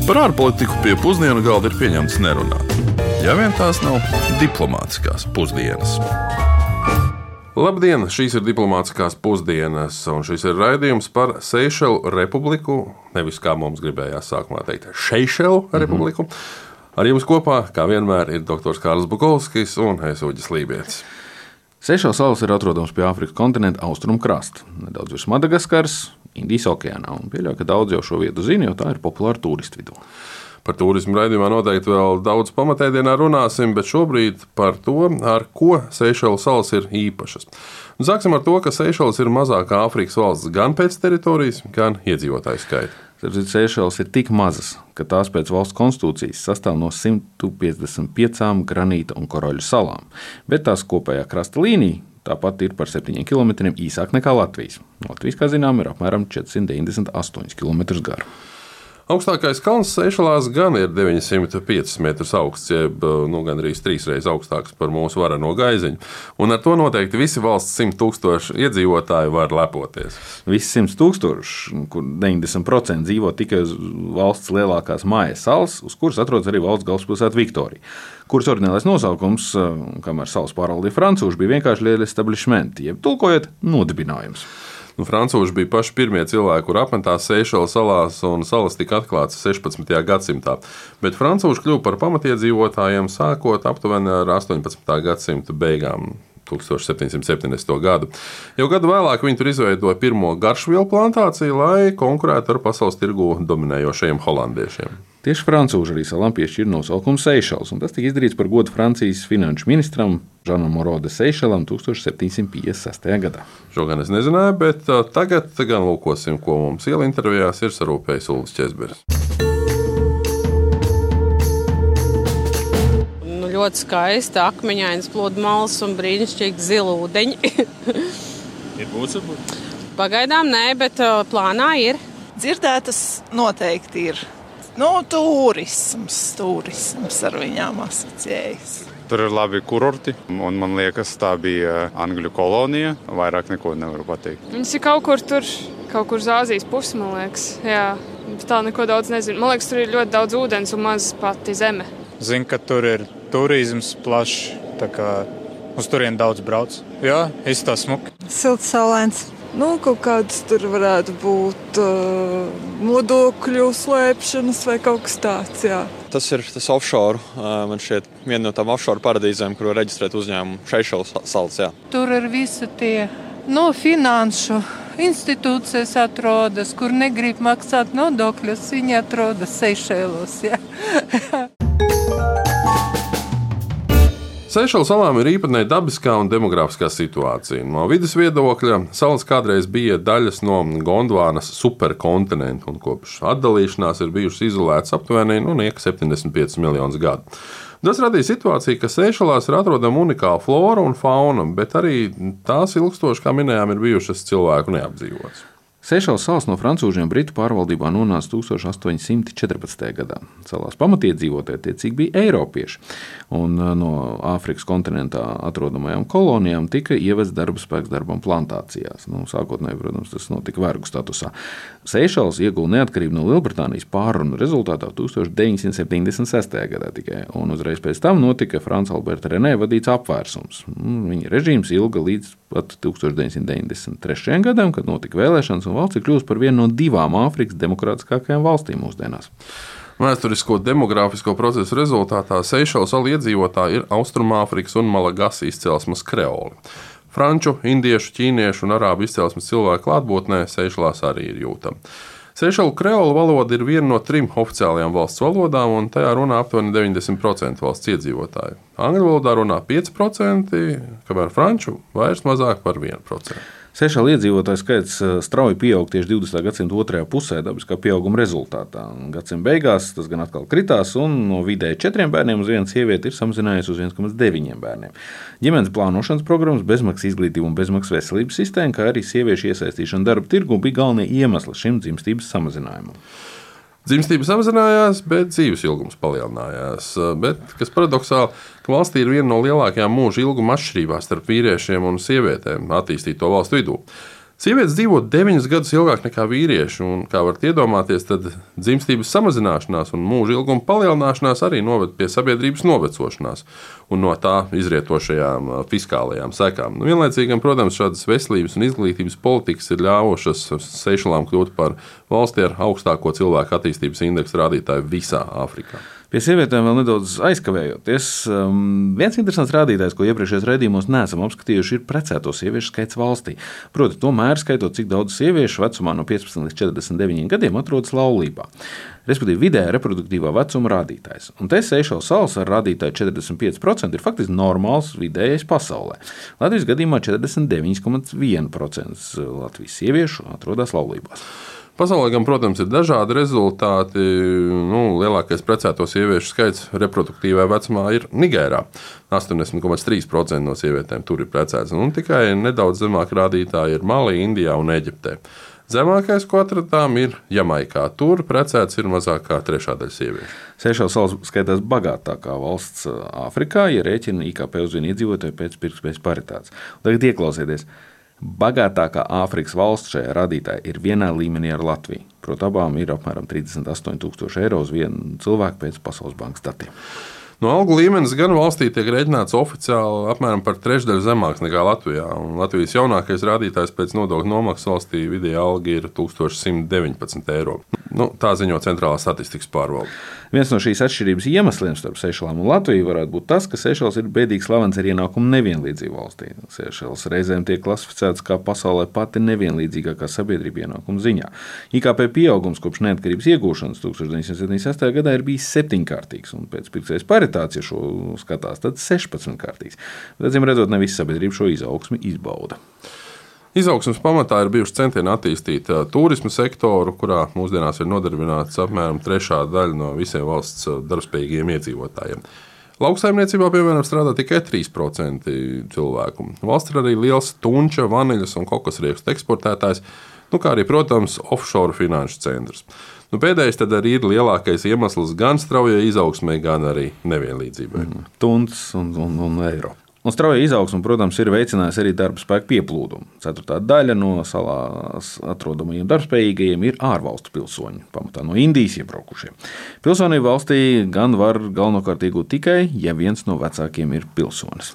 Par ārpolitiku pie pusdienu galda ir pieņemts nerunāt. Ja vien tās nav diplomātiskās pusdienas. Labdien! Šīs ir diplomātiskās pusdienas, un šis ir raidījums par Seišelu republiku, nevis kā mums gribējās sākumā teikt, Šeišelu republiku. Ar jums kopā, kā vienmēr, ir doktors Kārlis Bukovskis un es Uģis Lībietis. Seišelu salas ir atrodams pie Āfrikas kontinenta austrumu krasta, nedaudz virs Madagaskaras, Indijas okeānā, un pieļauju, ka daudz jau šo vietu zina, jo tā ir populāra turistu vidū. Par turismu raidījumā noteikti vēl daudz pamatēdienā runāsim, bet šobrīd par to, ar ko Seišelu salas ir īpašas. Un sāksim ar to, ka Seišelas ir mazākā Āfrikas valsts gan pēc teritorijas, gan iedzīvotāju skaita. Seišelas ir tik mazas, ka tās pēc valsts konstitūcijas sastāv no 155 granīta un koroļu salām, bet tās kopējā krasta līnija tāpat ir par 7 km īsāk nekā Latvijas. Latvijas, kā zinām, ir apmēram 498 km gara. Augstākais kalns Seišelās gan ir 905 metrus augsts, jeb gandrīz 3 reizes augstāks par mūsu vareno gaiziņu. Un ar to noteikti visi valsts 100 000 iedzīvotāji var lepoties. Visi 100 000, kur 90% dzīvo tikai uz valsts lielākās mājas salas, uz kuras atrodas arī valsts galvaspilsēta Viktorija, kuras oriģinālais nosaukums, kamēr salas pārvaldīja francūži, bija vienkārši l'establishment, jeb tulkojot nodibinājums. Francūži bija paši pirmie cilvēki, kur apmetās Seišelu salās, un salas tika atklātas 16. gadsimtā. Bet francūži kļuva par pamatiedzīvotājiem sākot aptuveni ar 18. gadsimta beigām, 1770. gadu. Jau gadu vēlāk viņi tur izveidoja pirmo garšvielu plantāciju, lai konkurētu ar pasaules tirgū dominējošajiem holandiešiem. Tieši francūži arī salām piešķīra nosaukumu Seišelas, un tas tika izdarīts par godu Francijas finanšu ministram Žanam Moro de Seišelam 1756. gadā. Šo gan es nezināju, bet tagad gan lūkosim, ko mums iela intervijās ir sarūpējis Ulris Česberis. Ļoti skaisti, akmeņainas pludmales un brīnišķīgi zila ūdeņi. Ir būs varbūt? Pagaidām nē, bet plānā ir. Dzirdētas noteikti ir. Turisms ar viņām asociējas. Tur ir labi kurorti, un man liekas, tā bija Angļu kolonija. Vairāk neko nevaru pateikt. Viņas ir kaut kur uz Āzijas pusi, man liekas. Jā, tā neko daudz nezinu. Man liekas, tur ir ļoti daudz ūdens un maz pati zeme. Zinu, ka tur ir turisms plašs, tā kā uz turien daudz brauc. Jā, izstāsta smuki. Silts, saulains. Kaut kāds tur varētu būt nodokļu slēpšanas vai kaut kas tāds, jā. Tas ir tas offshore, man šķiet, viena no tām offshore paradīzēm, kur var reģistrēt uzņēmumu Seišelu salas, jā. Tur ir visi tie finanšu institūcijas atrodas, kur negrib maksāt nodokļus, viņi atrodas Seišelos, jā. Seišelu salām ir īpatnēja dabiskā un demografiskā situācija. No vides viedokļa salas kādreiz bija daļas no Gondvānas superkontinenta, un kopš atdalīšanās ir bijušas izolētas aptuveni 75 miljonus gadu. Tas radīja situāciju, ka Seišelās ir atrodama unikāla flora un fauna, bet arī tās ilgstoši, kā minējām, ir bijušas cilvēku neapdzīvotas. Seišelas salas no francūžiem Britu pārvaldībā nonāca 1814. gadā. Salās pamatiedzīvotāji tiecīgi bija eiropieši, un no Āfrikas kontinentā atrodamajām kolonijām tika ievests darba spēks darbam plantācijās. Sākotnēji, protams, tas notika vergu statusā. Seišelas ieguva neatkarību no Lielbritānijas pārrunu rezultātā 1976. gadā tikai, un uzreiz pēc tam notika Franca Alberta Renē vadīts apvērsums. Viņa režīms ilga līdz pat 1993. gadam, kad notika vēlēšanas, un valsts ir kļuvusi par vienu no 2 Āfrikas demokrātiskākajām valstīm mūsdienās. Vēsturisko demogrāfisko procesu rezultātā Seišelu salu iedzīvotāji ir Austrumāfrikas un Malagasas izcelsmes kreoli. Franču, indiešu, ķīniešu un arābu izcelsmes cilvēku klātbūtnē Seišelās arī ir jūtama. Seišelu kreolu valoda ir viena no 3 oficiālajām valsts valodām, un tajā runā aptuveni 90% valsts iedzīvotāju. Angļu valodā runā 5%, kamēr franču vairs mazāk par 1%. Seišelu iedzīvotāju skaits strauji pieaug tieši 20. gadsimta otrajā pusē dabiskā pieauguma rezultātā. Gadsimta beigās tas gan atkal kritās, un no vidēji 4 bērniem uz vienu sievieti ir samazinājies uz 1,9 bērniem. Ģimenes plānošanas programmas, bezmaksas izglītība un bezmaksas veselības sistēma, kā arī sieviešu iesaistīšana darba tirgu bija galvenie iemesli šim dzimstības samazinājumam. Dzimstība samazinājās, bet dzīves ilgums palielinājās. Bet, kas paradoxāli, ka valstī ir viena no lielākajām mūža ilguma atšķirībām starp vīriešiem un sievietēm attīstīto valstu vidū. Sievietes dzīvo 9 gadus ilgāk nekā vīrieši, un, kā varat iedomāties, tad dzimstības samazināšanās un mūža ilguma palielināšanās arī noved pie sabiedrības novecošanās un no tā izrietošajām fiskālajām sekām. Vienlaicīgi, protams, šādas veselības un izglītības politikas ir ļāvušas Seišelām kļūt par valsti ar augstāko cilvēku attīstības indeksu rādītāju visā Āfrikā. Pie sievietēm vēl nedaudz aizkavējoties. Viens interesants rādītājs, ko iepriekšējos raidījumos neesam apskatījuši, ir precēto sieviešu skaits valstī. Proti, tomēr skaitot, cik daudz sieviešu vecumā no 15 līdz 49 gadiem atrodas laulībā. Respektīvi, vidējā reproduktīvā vecuma rādītājs. Un te Seišelu salas ar rādītāju 45% ir faktiski normāls vidējais pasaulē. Latvijas gadījumā 49,1% Latvijas sieviešu atrodas laulībās. Pasaulē, gan, protams, ir dažādi rezultāti. Lielākais precēto sieviešu skaits reproduktīvajā vecumā ir Nigērā. 80,3% no sievietēm tur ir precētas. Tikai nedaudz zemāk rādītāji ir Malī, Indijā un Eģiptē. Zemākais, ko atradām, ir Jamaikā. Tur precēts ir mazāk kā 1/3 sieviešu. Seišelu salas skaitās bagātākā valsts Āfrikā, ja rēķina IKP uz vienu iedzīvotāju pēc pirktspējas paritātes. Tagad ieklausieties. Bagātākā Āfrikas valsts šajā rādītājā ir vienā līmenī ar Latviju. Proti, abām ir apmēram 38,000 eiro uz vienu cilvēku pēc Pasaules bankas datiem. No algu līmenis gan valstī tiek rēķināts oficiāli apmēram par trešdaļu zemāks nekā Latvijā. Latvijas jaunākais rādītājs pēc nodokļu nomaksas valstī vidējā alga ir 1119 eiro. Tā ziņo Centrālā statistikas pārvalde. Viens no šīs atšķirības iemesliem starp Seišelām un Latviju varētu būt tas, ka Seišelas ir bēdīgi slavens ar ienākumu nevienlīdzību valstī. Seišelas reizēm tiek klasificēts kā pasaulē pati nevienlīdzīgākā sabiedrība ienākuma ziņā. IKP pieaugums kopš neatkarības iegūšanas 1976. gadā ir bijis 7-kārtīgs, un pēc pirktspējas paritātes, ja šo skatās, tad 16-kārtīgs. Bet, acīm redzot, ne visa sabiedrība šo izaugsmi izbauda. Izaugsmes pamatā ir bijuši centieni attīstīt turismu sektoru, kurā mūsdienās ir nodarbināts apmēram 1/3 no visiem valsts darbspējīgiem iedzīvotājiem. Lauksaimniecībā, piemēram, strādā tikai 3% cilvēku. Valsts ir arī liels tunča, vaniļas un kokosriekstu eksportētājs, kā arī, protams, offshore finanšu centrs. Pēdējais tad arī ir lielākais iemesls gan straujai izaugsmai, gan arī nevienlīdzībai. Tunts un eiro. Un strauja izaugsme, protams, ir veicinājusi arī darba spēku pieplūdumu. 1/4 no salās atrodamajiem darbspējīgajiem ir ārvalstu pilsoņi, pamatā no Indijas iebraukušie. Pilsonību valstī gan var galvenokārt iegūt tikai, ja viens no vecākiem ir pilsonis.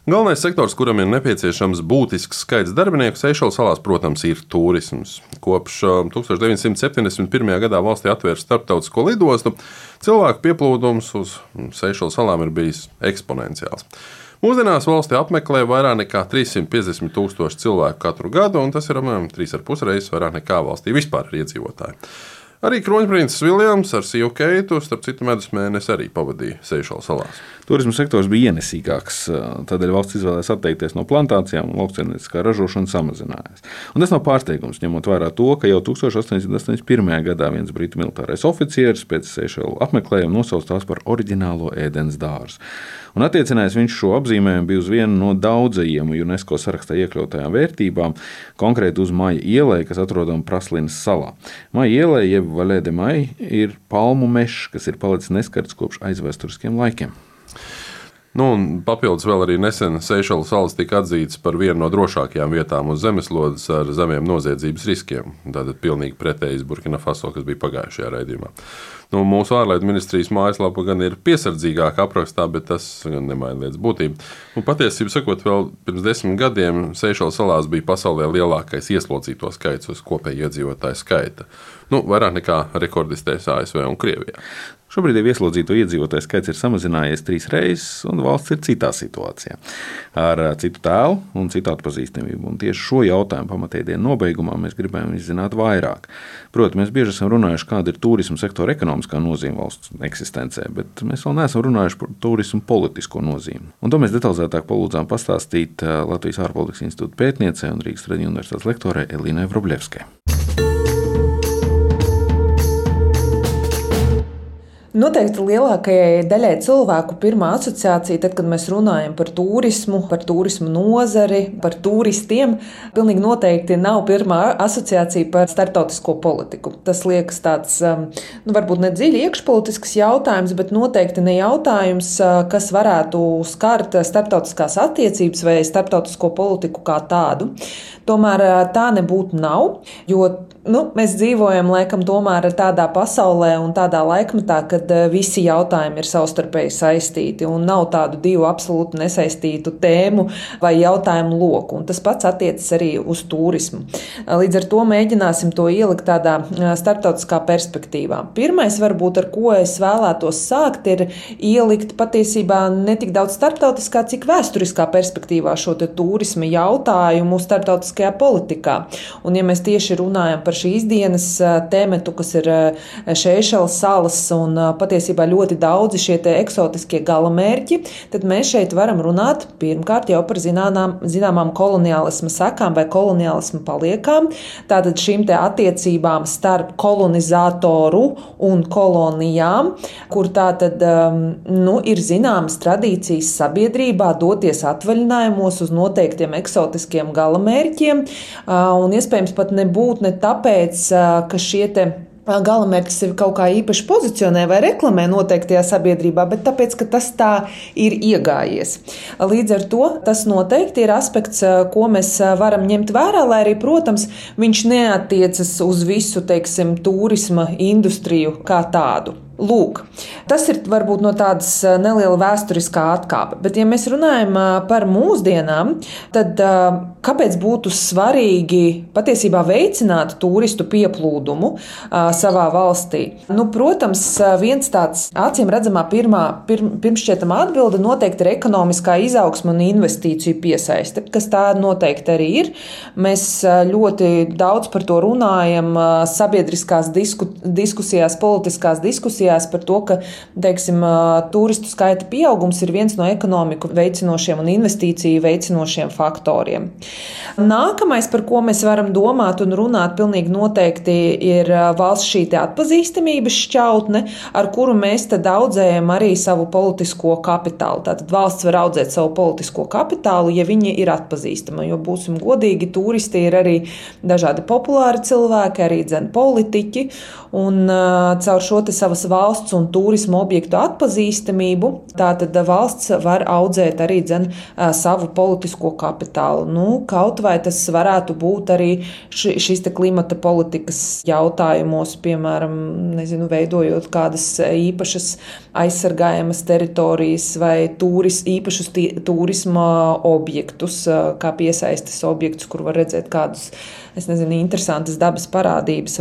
Galvenais sektors, kuram ir nepieciešams būtisks skaits darbinieku Seišelu salās, protams, ir turisms. Kopš 1971. gadā valstī atvērta starptautisko lidostu, cilvēku pieplūdums uz Seišelu salām ir bijis eksponenciāls. Mūsdienās valsti apmeklē vairāk nekā 350 000 cilvēku katru gadu, un tas ir apmēram 3,5 reizes vairāk nekā valstī vispār ir iedzīvotāji. Arī kroņprinces Viljams ar sievu Keitu, starp citu, medus mēnesi arī pavadīja Seišelu salās. Turisma sektors bija ienesīgāks, tādēļ valsts izvēlējās atteikties no plantācijām un lauksaimnieciskā ražošana samazinājās. Un tas nav pārsteigums, ņemot vērā to, ka jau 1881. gadā viens britu militārais oficieris pēc Seišelu apmeklējuma nosauca tās par oriģinālo ēdienas dārzu. Un attiecinājis viņš šo apzīmējumu bija uz vienu no daudzajiem UNESCO sarakstā iekļautajām vērtībām, konkrēti uz Maja ielai, kas atrodama Praslinas salā. Maja ielai, jeb Valē de Maja, ir palmu mežs, kas ir palicis neskarts kopš aizvēsturiskiem laikiem. Papildus vēl arī nesen Seišelu salas tika atzītas par vienu no drošākajām vietām uz zemeslodes ar zemiem noziedzības riskiem. Tātad pilnīgi pretējs Burkina Faso, kas bija pagājušajā raidījumā. Mūsu ārlietu ministrijas mājaslapa gan ir piesardzīgāka aprakstā, bet tas gan nemaina lietas būtību. Patiesībā sakot, vēl pirms 10 gadiem Seišelu salās bija pasaulē lielākais ieslodzīto skaits uz kopēju iedzīvotāju skaita. Vairāk nekā rekordistēs ASV un Krievijā. Šobrīd ieslodzīto iedzīvotāju skaits ir samazinājies 3 reizes, un valsts ir citā situācijā, ar citu tēlu un citu atpazīstamību. Un tieši šo jautājumu pamatēdienu nobeigumā mēs gribējām izzināt vairāk. Protams, mēs bieži esam runājuši, kāda ir turisma sektora ekonomiskā nozīme valsts eksistencē, bet mēs vēl neesam runājuši par turismu politisko nozīmi. Un to mēs detalizētāk palūdzām pastāstīt Latvijas ārpolitikas institūta pētniecei un Rīgas Traģiņu universitātes lektorei Elīnai Vrublevskai. Noteikti lielākajai daļai cilvēku pirmā asociācija, tad, kad mēs runājam par turismu nozari, par turistiem, pilnīgi noteikti nav pirmā asociācija par starptautisko politiku. Tas liekas tāds, varbūt ne dziļi iekšpolitisks jautājums, bet noteikti ne jautājums, kas varētu skart starptautiskās attiecības vai starptautisko politiku kā tādu. Tomēr tā nebūtu nav, jo mēs dzīvojam laikam tomēr tādā pasaulē un tādā laikmetā, kad visi jautājumi ir savstarpēji saistīti un nav tādu divu absolūti nesaistītu tēmu vai jautājumu loku. Un tas pats attiecas arī uz turismu. Līdz ar to mēģināsim to ielikt tādā starptautiskā perspektīvā. Pirmais, varbūt, ar ko es vēlētos sākt, ir ielikt patiesībā ne tik daudz starptautiskā, cik vēsturiskā perspektīvā šo te turisma jautājumu starptautiskajā politikā. Un ja mēs tieši runājam par šīs dienas tēmetu, kas ir Seišelas salas un patiesībā ļoti daudzi šie te eksotiskie galamērķi, tad mēs šeit varam runāt pirmkārt jau par zināmām koloniālisma sekām vai koloniālisma paliekām. Tātad šīm te attiecībām starp kolonizatoru un kolonijām, kur tātad ir zināmas tradīcijas sabiedrībā doties atvaļinājumos uz noteiktiem eksotiskiem galamērķiem, un iespējams pat nebūt ne tāpēc, ka šie te galamērķis sevi kaut kā īpaši pozicionē vai reklamē noteiktajā sabiedrībā, bet tāpēc, ka tas tā ir iegājies. Līdz ar to tas noteikti ir aspekts, ko mēs varam ņemt vērā, lai arī, protams, viņš neatiecas uz visu, turisma industriju kā tādu. Lūk, tas ir varbūt no tādas neliela vēsturiskā atkāpe, bet ja mēs runājam par mūsdienām, tad kāpēc būtu svarīgi patiesībā veicināt turistu pieplūdumu savā valstī? Protams, viens tāds acīm redzamā pirmšķietama atbilde noteikti ir ekonomiskā izaugsme un investīciju piesaiste, kas tā noteikti arī ir. Mēs ļoti daudz par to runājam sabiedriskās diskusijās, politiskās diskusijās, par to, ka, turistu skaita pieaugums ir viens no ekonomiku veicinošiem un investīciju veicinošiem faktoriem. Nākamais, par ko mēs varam domāt un runāt pilnīgi noteikti, ir valsts šī te atpazīstamības šķautne, ar kuru mēs tad audzējam arī savu politisko kapitālu. Tātad valsts var audzēt savu politisko kapitālu, ja viņi ir atpazīstama, jo būsim godīgi, turisti ir arī dažādi populāri cilvēki, arī politiķi, un caur šo te savas valsts un turisma objektu atpazīstamību, tātad valsts var audzēt arī savu politisko kapitālu. Kaut vai tas varētu būt arī šis te klimata politikas jautājumos, piemēram, veidojot kādas īpašas aizsargājamas teritorijas vai īpašus turisma objektus, kā piesaistes objektus, kur var redzēt kādus, interesantas dabas parādības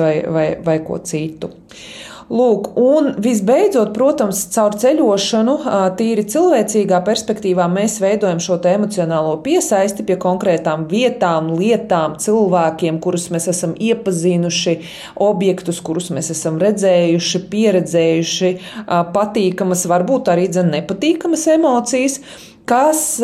vai ko citu. Lūk, un visbeidzot, protams, caur ceļošanu, tīri cilvēcīgā perspektīvā mēs veidojam šo te emocionālo piesaisti pie konkrētām vietām, lietām, cilvēkiem, kurus mēs esam iepazinuši, objektus, kurus mēs esam redzējuši, pieredzējuši, patīkamas, varbūt arī nepatīkamas emocijas, kas,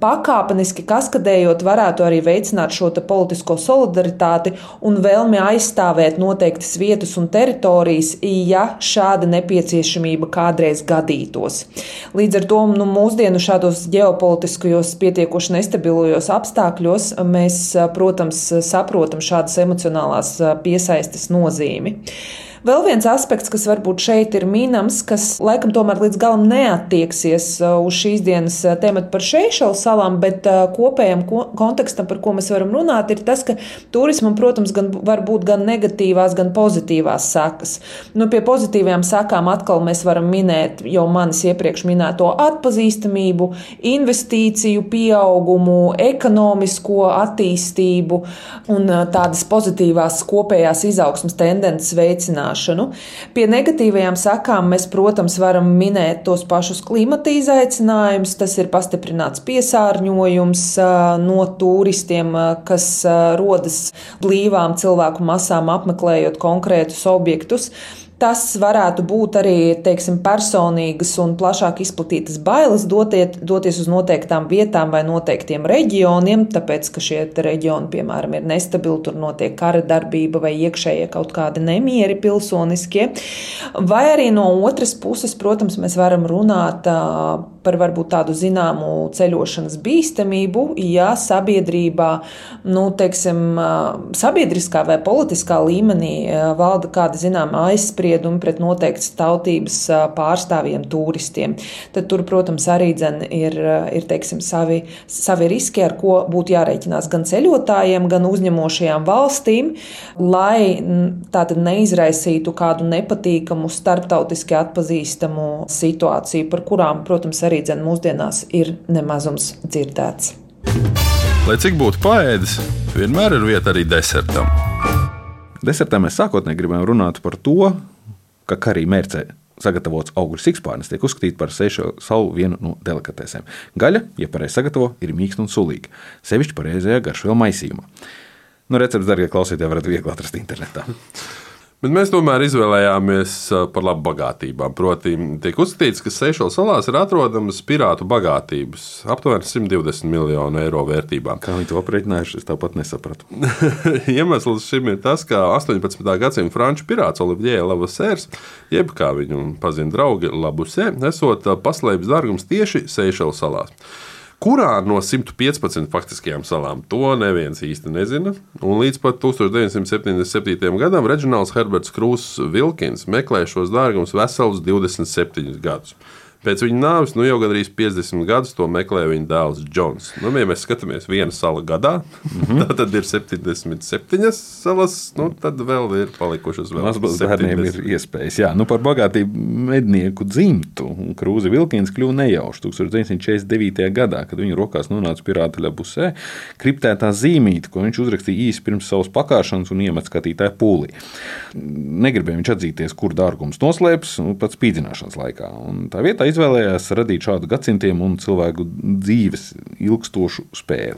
pakāpeniski kaskadējot, varētu arī veicināt šo te politisko solidaritāti un vēlmi aizstāvēt noteiktas vietas un teritorijas, ja šāda nepieciešamība kādreiz gadītos. Līdz ar to mūsdienu šādos ģeopolitiskajos pietiekoši nestabilajos apstākļos mēs, protams, saprotam šādas emocionālās piesaistes nozīmi. Vēl viens aspekts, kas varbūt šeit ir minams, kas laikam tomēr līdz galam neattieksies uz šīs dienas tēmatu par Seišelas salām, bet kopējam kontekstam, par ko mēs varam runāt, ir tas, ka turismam, protams, var būt gan negatīvās, gan pozitīvās sekas. Pie pozitīvajām sekām atkal mēs varam minēt jau manis iepriekš minēto atpazīstamību, investīciju pieaugumu, ekonomisko attīstību un tādas pozitīvās kopējās izaugsmas tendences veicināšanu. Pie negatīvajām sekām mēs, protams, varam minēt tos pašus klimata izaicinājumus. Tas ir pastiprināts piesārņojums no turistiem, kas rodas blīvām cilvēku masām apmeklējot konkrētus objektus. Tas varētu būt arī, teiksim, personīgas un plašāk izplatītas bailes doties uz noteiktām vietām vai noteiktiem reģioniem, tāpēc, ka šie reģioni, piemēram, ir nestabili, tur notiek kara darbība vai iekšējie kaut kādi nemieri pilsoniskie. Vai arī no otras puses, protams, mēs varam runāt par varbūt tādu zināmu ceļošanas bīstamību, ja sabiedrībā, teiksim, sabiedriskā vai politiskā līmenī valda kāda zināma aizspriedumi pret noteiktas tautības pārstāvjiem turistiem. Tad tur, protams, arī ir teiksim, savi riski, ar ko būtu jārēķinās gan ceļotājiem, gan uzņemošajām valstīm, lai tātad neizraisītu kādu nepatīkamu, starptautiski atpazīstamu situāciju, par kurām, protams, arī mūsdienās ir nemazums dzirdēts. Lai cik būtu paēdis, vienmēr ir vieta arī desertam. Desertā mēs sākotnēji gribējām runāt par to, ka karī mērcē sagatavots augļu sikspārnis tiek uzskatīts par Seišelu salu vienu no delikatesēm. Gaļa, ja pareizi sagatavo, ir mīksta un sulīga, sevišķi pareizajā garšvielu maisījumā. Recepts, darbie klausītāji, varat viegli atrast internetā. Bet mēs tomēr izvēlējāmies par labu bagātībām. Proti, tiek uzskatīts, ka Seišelu salās ir atrodamas pirātu bagātības, aptuveni 120 miljonu eiro vērtībā. Kā viņi to aprēķinājuši, es tāpat nesapratu. Iemesls šim ir tas, ka 18. gadsimta franču pirāts Olivier Lavoisiers, jeb kā viņu pazina draugi Labusē, esot paslēpis dārgums tieši Seišelu salās. Kurā no 115 faktiskajām salām to neviens īsti nezina, un līdz pat 1977. gadam Reģionāls Herberts Krūss Vilkins meklē šos dārgumus veselus 27 gadus. Pēc viņa nāves jau gandrīz 50 gadus to meklē viņa dēls Džons. Ja mēs skatāmies viena sala gadā, tad ir 77 salas, tad vēl ir palikušas vēl 70. Bērniem ir iespējas. Jā, par bagātību mednieku dzimtu Krūzi Vilkins kļuva nejauši 1949. gadā, kad viņa rokās nonāca pirāta Labusē kriptētā zīmīte, ko viņš uzrakstīja īsi pirms savas pakāšanas un iemet skatītāju pūlī. Negribēja viņš atzīties, kur dārgums noslēpts pat spīdzināšanas laikā. Un tā vietā izvēlējās radīt šādu gadsimtiem un cilvēku dzīves ilgstošu spēli.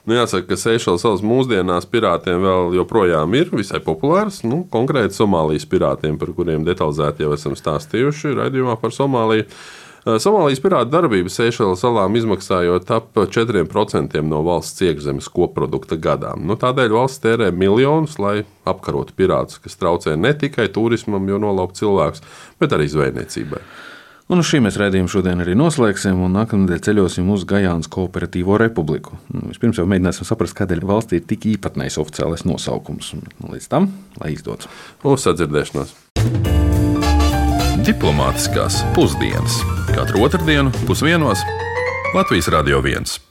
Jāsaka, ka Seišelu salas mūsdienās pirātiem vēl joprojām ir visai populārs. Konkrēti Somālijas pirātiem, par kuriem detalizēti jau esam stāstījuši raidījumā par Somāliju. Somālijas pirātu darbība Seišelu salām izmaksājot ap 4% no valsts iekšzemes koprodukta gadā. Tādēļ valsts tērē miljonus, lai apkarotu pirātus, kas traucē ne tikai turismam, jo nolaup cilvēkus, bet arī zvejniecībai. Un uz šī mēs raidījumu šodien arī noslēgsim, un nākamnedēļ ceļosim uz Gajānas Kooperatīvo republiku. Vispirms jau mēģināsim saprast, kādēļ valstī ir tik īpatnējs oficiālais nosaukums. Līdz tam, lai izdodas. Uz sadzirdēšanos. Diplomātiskās pusdienas. Katru otrdienu 12:00 Latvijas Radio 1.